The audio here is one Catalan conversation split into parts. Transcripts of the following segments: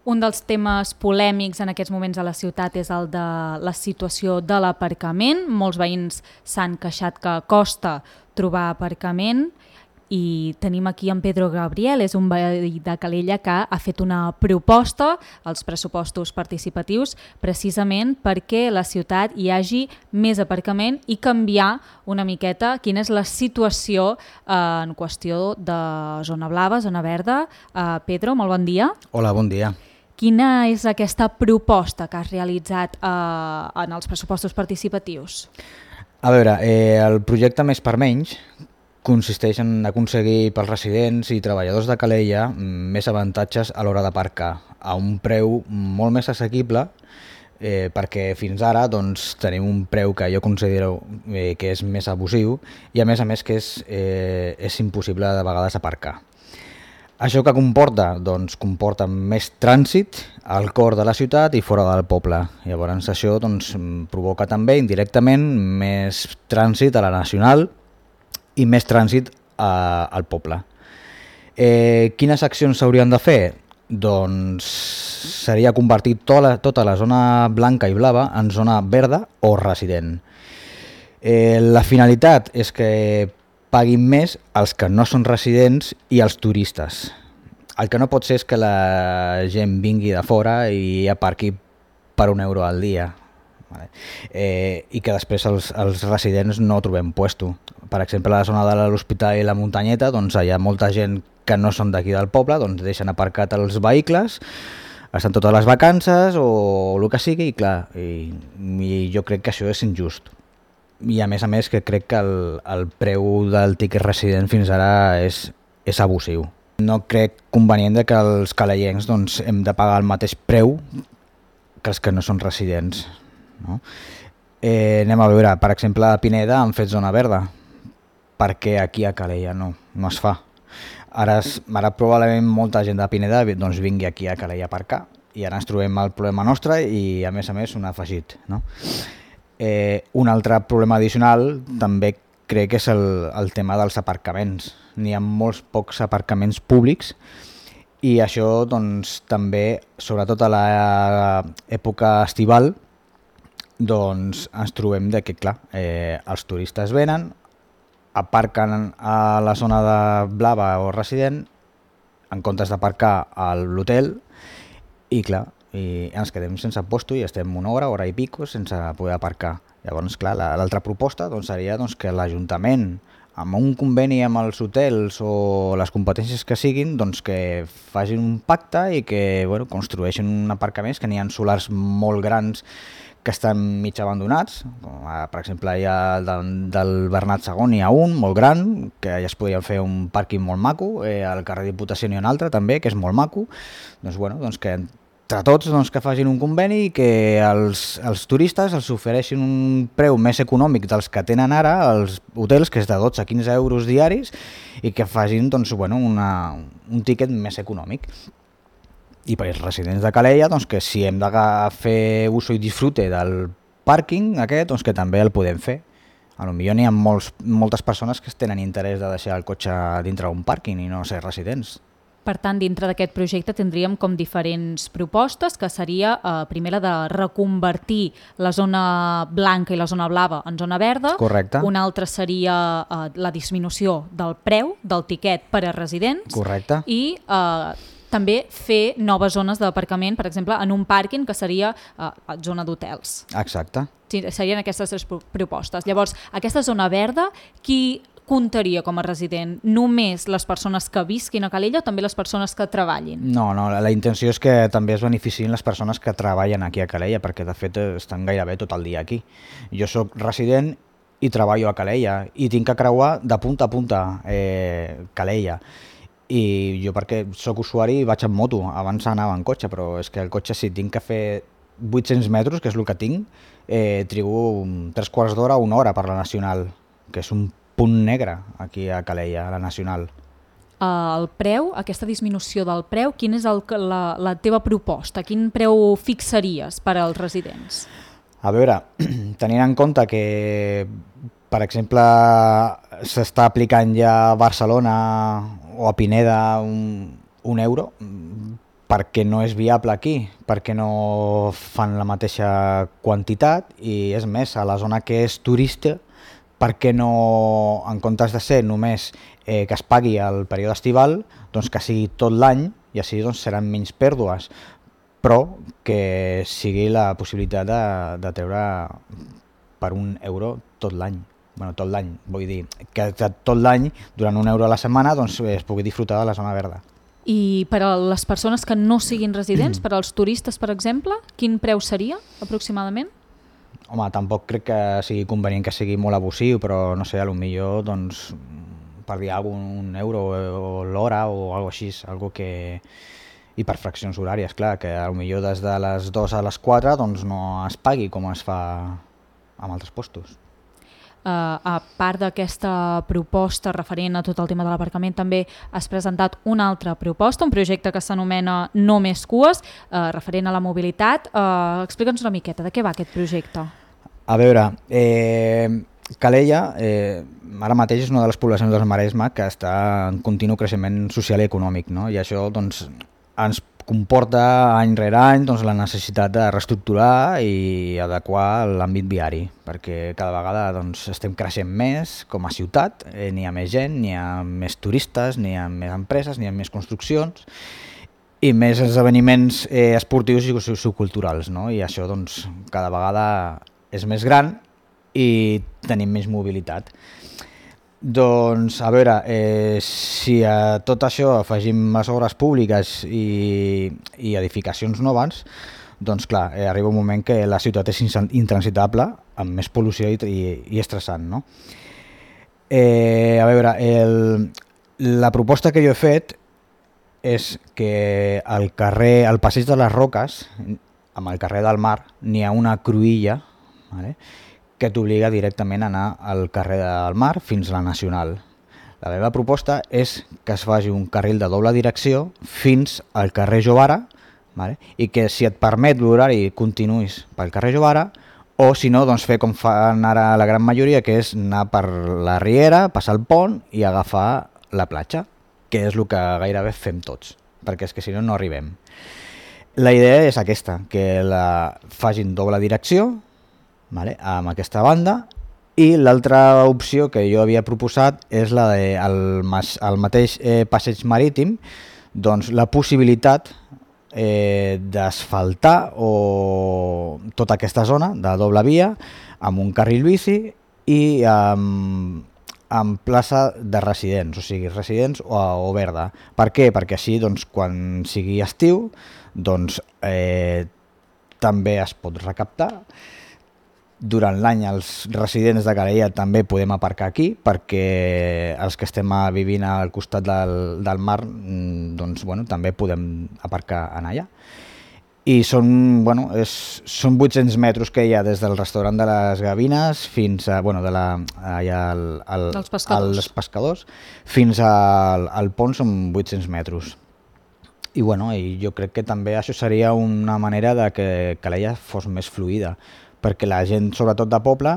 Un dels temes polèmics en aquests moments a la ciutat és el de la situació de l'aparcament. Molts veïns s'han queixat que costa trobar aparcament i tenim aquí en Pedro Gabriel, és un veí de Calella que ha fet una proposta als pressupostos participatius precisament perquè a la ciutat hi hagi més aparcament i canviar una miqueta quina és la situació en qüestió de zona blava, zona verda. Pedro, molt bon dia. Hola, bon dia. Quina és aquesta proposta que has realitzat en els pressupostos participatius? A veure, el projecte Més per Menys consisteix en aconseguir pels residents i treballadors de Calella més avantatges a l'hora d'aparcar a un preu molt més assequible, perquè fins ara doncs, tenim un preu que jo considero que és més abusiu i a més que és impossible de vegades aparcar. Això que comporta? Doncs comporta més trànsit al cor de la ciutat i fora del poble. Llavors això doncs, provoca també indirectament més trànsit a la Nacional i més trànsit al poble. Quines accions s'haurien de fer? Doncs seria convertir tota la zona blanca i blava en zona verda o resident. La finalitat és que paguin més els que no són residents i els turistes. El que no pot ser és que la gent vingui de fora i aparqui per €1 al dia. Vale. I que després els residents no trobem puesto. Per exemple, a la zona de l'Hospital i la Muntanyeta, doncs hi ha molta gent que no són d'aquí del poble, doncs deixen aparcat els vehicles, estan totes les vacances o el que sigui, i clar, i jo crec que això és injust. I a més que crec que el preu del tiquet resident fins ara és abusiu. No crec convenient que els calellencs doncs, hem de pagar el mateix preu que els que no són residents. No? Anem a veure, per exemple, a Pineda han fet zona verda, perquè aquí a Calella no es fa. Ara probablement molta gent de Pineda doncs, vingui aquí a Calella a aparcar i ara ens trobem el problema nostre i a més un afegit. No? Un altre problema addicional també crec que és el tema dels aparcaments. N'hi ha molts pocs aparcaments públics i això doncs, també, sobretot a l'època estival, doncs ens trobem que clar, els turistes venen, aparquen a la zona de blava o resident en comptes d'aparcar a l'hotel i clar, i ens quedem sense posto i estem una hora i pico sense poder aparcar. Llavors, clar, l'altra proposta doncs, seria doncs, que l'Ajuntament, amb un conveni amb els hotels o les competències que siguin, doncs, que facin un pacte i que construeixin aparcaments, que n'hi ha solars molt grans que estan mig abandonats. Per exemple, hi ha del Bernat II hi ha un molt gran, que ja es podria fer un pàrquing molt maco, al carrer Diputació n'hi ha un altre també, que és molt maco. Doncs que entre tots que facin un conveni i que els turistes els ofereixin un preu més econòmic dels que tenen ara els hotels, que és de 12 a 15 euros diaris, i que facin un tíquet més econòmic. I per als residents de Calella, doncs, que si hem de fer uso i disfrute del pàrquing aquest, doncs que també el podem fer. Potser n'hi ha moltes persones que tenen interès de deixar el cotxe dintre d'un pàrquing i no ser residents. Per tant, dintre d'aquest projecte tindríem com diferents propostes, que seria primera de reconvertir la zona blanca i la zona blava en zona verda. Correcte. Una altra seria la disminució del preu del tiquet per a residents. Correcte. I també fer noves zones d'aparcament, per exemple, en un pàrquing que seria zona d'hotels. Exacte. Sí, serien aquestes tres propostes. Llavors, aquesta zona verda, qui comptaria com a resident? Només les persones que visquin a Calella o també les persones que treballin? No, la intenció és que també es beneficien les persones que treballen aquí a Calella, perquè de fet estan gairebé tot el dia aquí. Jo sóc resident i treballo a Calella i tinc que creuar de punta a punta Calella. I jo perquè sóc usuari vaig en moto, abans anava en cotxe, però és que el cotxe si tinc que fer 800 metres, que és el que tinc, trigo 3/4 d'hora, 1 hora per la Nacional, que és un punt negre aquí a Calella, a la Nacional. El preu, aquesta disminució del preu, quina és la teva proposta? Quin preu fixaries per als residents? A veure, tenint en compte que, per exemple, s'està aplicant ja a Barcelona o a Pineda un euro, perquè no és viable aquí, perquè no fan la mateixa quantitat i és més, a la zona que és turista, perquè no, en comptes de ser només que es pagui el període estival, doncs que sigui tot l'any i així doncs, seran menys pèrdues, però que sigui la possibilitat de treure per €1 tot l'any. Bueno, tot l'any, vull dir, que tot l'any, durant €1 a la setmana, doncs, es pugui disfrutar de la zona verda. I per a les persones que no siguin residents, per als turistes, per exemple, quin preu seria, aproximadament? Home, tampoc crec que sigui convenient que sigui molt abusiu, però no sé, potser doncs, per dir alguna cosa, €1 o l'hora o alguna cosa així, algo que... I per fraccions horàries, clar, que potser des de les 2 a les 4 doncs, no es pagui com es fa en altres postos. A part d'aquesta proposta referent a tot el tema de l'aparcament, també has presentat una altra proposta, un projecte que s'anomena No més cues, referent a la mobilitat. Explica'ns una miqueta, de què va aquest projecte? A veure, Calella ara mateix és una de les poblacions del Maresme que està en continu creixement social i econòmic, no? I això doncs, ens comporta any rere any doncs, la necessitat de reestructurar i adequar l'àmbit viari, perquè cada vegada doncs, estem creixent més com a ciutat, n'hi ha més gent, n'hi ha més turistes, n'hi ha més empreses, n'hi ha més construccions i més esdeveniments esportius i socioculturals, no? I això doncs, cada vegada és més gran i tenim més mobilitat. Doncs, a veure, si a tot això afegim més obres públiques i edificacions noves, doncs clar, arriba un moment que la ciutat és intransitable, amb més pol·lució i estressant, no? A veure, la proposta que jo he fet és que al passeig de les Roques, amb el carrer del Mar, n'hi ha una cruïlla, vale? Que t'obliga directament a anar al carrer del Mar fins a la Nacional. La meva proposta és que es faci un carril de doble direcció fins al carrer Jovara, vale? I que si et permet l'horari continuïs pel carrer Jovara, o si no, doncs fer com fan ara la gran majoria, que és anar per la Riera, passar el pont i agafar la platja, que és el que gairebé fem tots, perquè és que si no, no arribem. La idea és aquesta, que la facin doble direcció, vale, amb aquesta banda, i l'altra opció que jo havia proposat és la del mateix passeig marítim, doncs la possibilitat d'asfaltar tota aquesta zona de doble via amb un carril bici i amb plaça de residents, o sigui, residents o verda. Per què? Perquè així, doncs, quan sigui estiu, doncs, també es pot recaptar. Durant l'any els residents de Calella també podem aparcar aquí perquè els que estem vivint al costat del mar doncs, bueno, també podem aparcar en allà. I són 800 metres que hi ha des del restaurant de les Gavines fins a, als pescadors fins al pont són 800 metres. I jo crec que també això seria una manera de que Calella fos més fluida, perquè la gent, sobretot de poble,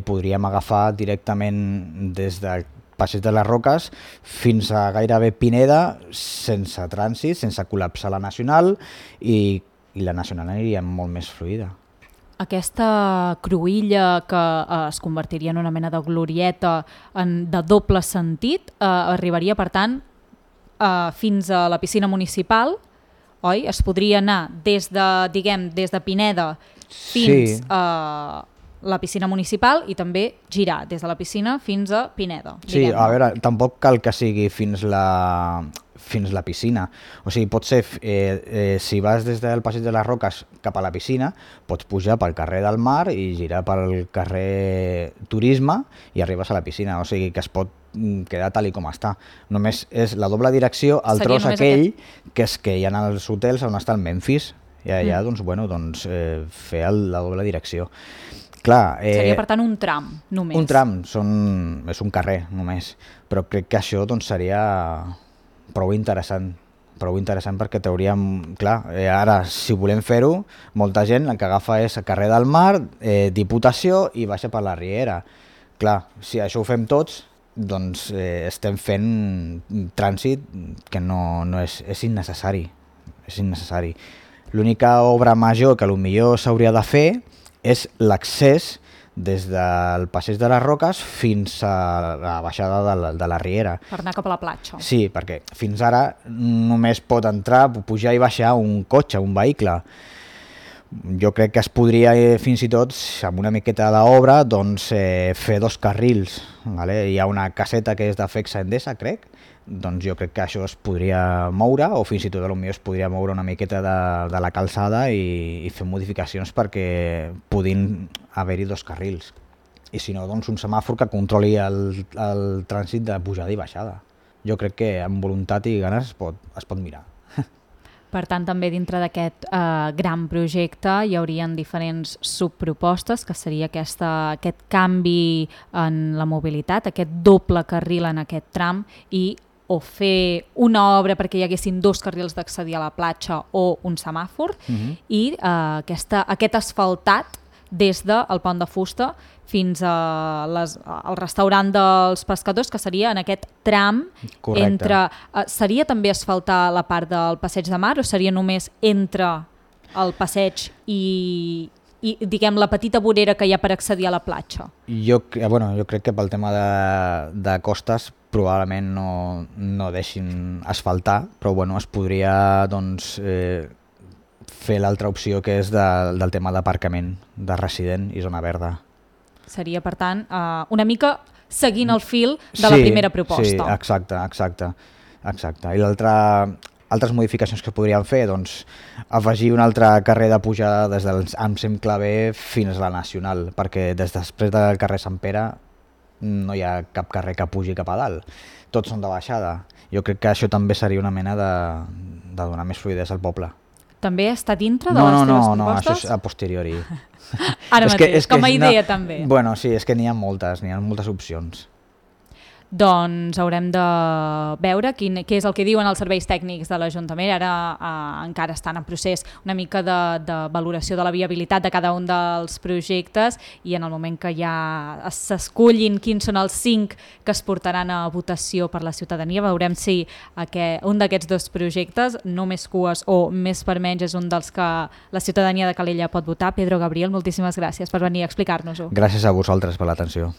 podríem agafar directament des del passeig de les Roques fins a gairebé Pineda sense trànsit, sense col·lapsar la Nacional i la Nacional aniria molt més fluida. Aquesta cruïlla que es convertiria en una mena de glorieta de doble sentit arribaria, per tant, fins a la piscina municipal, oi? Es podria anar des de Pineda fins a la piscina municipal i també girar des de la piscina fins a Pineda. Sí, a veure, tampoc cal que sigui fins la piscina. O sigui, pot ser, si vas des del passeig de les Roques cap a la piscina, pots pujar pel carrer del Mar i girar pel carrer Turisme i arribes a la piscina. O sigui, que es pot quedar tal i com està. Només és la doble direcció, el tros aquell que és que hi ha els hotels on està el Memphis. I allà fer la doble direcció. Clar, seria per tant un tram només. Un tram, és un carrer només, però crec que això seria prou interessant perquè trauríem, clar, ara si volem fer-ho, molta gent el que agafa és el carrer del Mar, Diputació i baixa per la Riera. Clar, si això ho fem tots, doncs estem fent trànsit que no és innecessari. és innecessari. L'única obra major que potser s'hauria de fer és l'accés des del passeig de les Roques fins a la baixada de la Riera. Per anar cap a la platja. Sí, perquè fins ara només pot entrar, pujar i baixar un cotxe, un vehicle. Jo crec que es podria fins i tot, amb una miqueta d'obra, doncs, fer 2 carrils. Vale? Hi ha una caseta que és de Fexa Endesa, crec, doncs jo crec que això es podria moure, o fins i tot potser es podria moure una miqueta de la calçada i fer modificacions perquè puguin haver-hi 2 carrils. I si no, doncs un semàfor que controli el trànsit de pujada i baixada. Jo crec que amb voluntat i ganes es pot mirar. Per tant, també dintre d'aquest gran projecte hi haurien diferents subpropostes, que seria aquest canvi en la mobilitat, aquest doble carril en aquest tram, i o fer una obra perquè hi haguessin 2 carrils d'accedir a la platja o un semàfor, i aquest asfaltat des del Pont de Fusta fins al restaurant dels pescadors, que seria en aquest tram. Correcte. Entre... seria també asfaltar la part del Passeig de Mar o seria només entre el passeig i diguem, la petita vorera que hi ha per accedir a la platja? Jo crec que pel tema de costes probablement no deixin asfaltar, però es podria doncs, fer l'altra opció, que és del tema d'aparcament de resident i zona verda. Seria, per tant, una mica seguint el fil de la primera proposta. Sí, exacte. I altres modificacions que podríem fer, doncs, afegir un altre carrer de pujada des del Amsem Clavé fins a la Nacional, perquè després del carrer Sant Pere no hi ha cap carrer que pugi cap a dalt. Tots són de baixada. Jo crec que això també seria una mena de donar més fluïdesa al poble. També està dintre de les teves propostes? No, això és a posteriori. Ara mateix, com a idea també. Bueno, sí, és que n'hi ha moltes opcions. Doncs haurem de veure què és el que diuen els serveis tècnics de l'Ajuntament. Ara encara estan en procés una mica de valoració de la viabilitat de cada un dels projectes, i en el moment que ja s'escullin quins són els 5 que es portaran a votació per la ciutadania, veurem si un d'aquests 2 projectes, no més cues o més per menys, és un dels que la ciutadania de Calella pot votar. Pedro Gabriel, moltíssimes gràcies per venir a explicar-nos-ho. Gràcies a vosaltres per l'atenció.